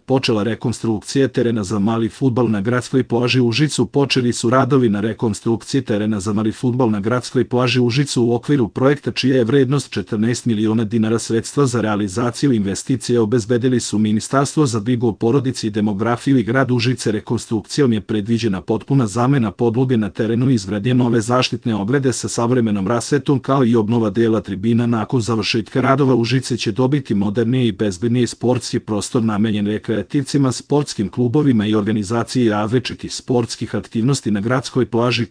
počela rekonstrukcija terena za mali fudbal na gradskoj plaži u Užicu. Počeli su radovi na rekonstrukciji terena za mali fudbal na gradskoj plaži u Užicu u okviru projekta čija je vrednost 14 miliona dinara. Sredstva za realizaciju investicije obezbedili su Ministarstvo za brigu o porodici i demografiju i grad Užice. Rekonstrukcijom je predviđena potpuna zamena podloge na terenu i izgradnja nove zaštitne ograde sa savremenom rasvetom, kao i obnova dela tribina. Nakon završetka radova Užice će dobiti moderniji i bezbedniji sportski prostor namenjen rekreativcima, sportskim klubovima i organizaciji različitih sportskih aktivnosti na gradskoj plaži.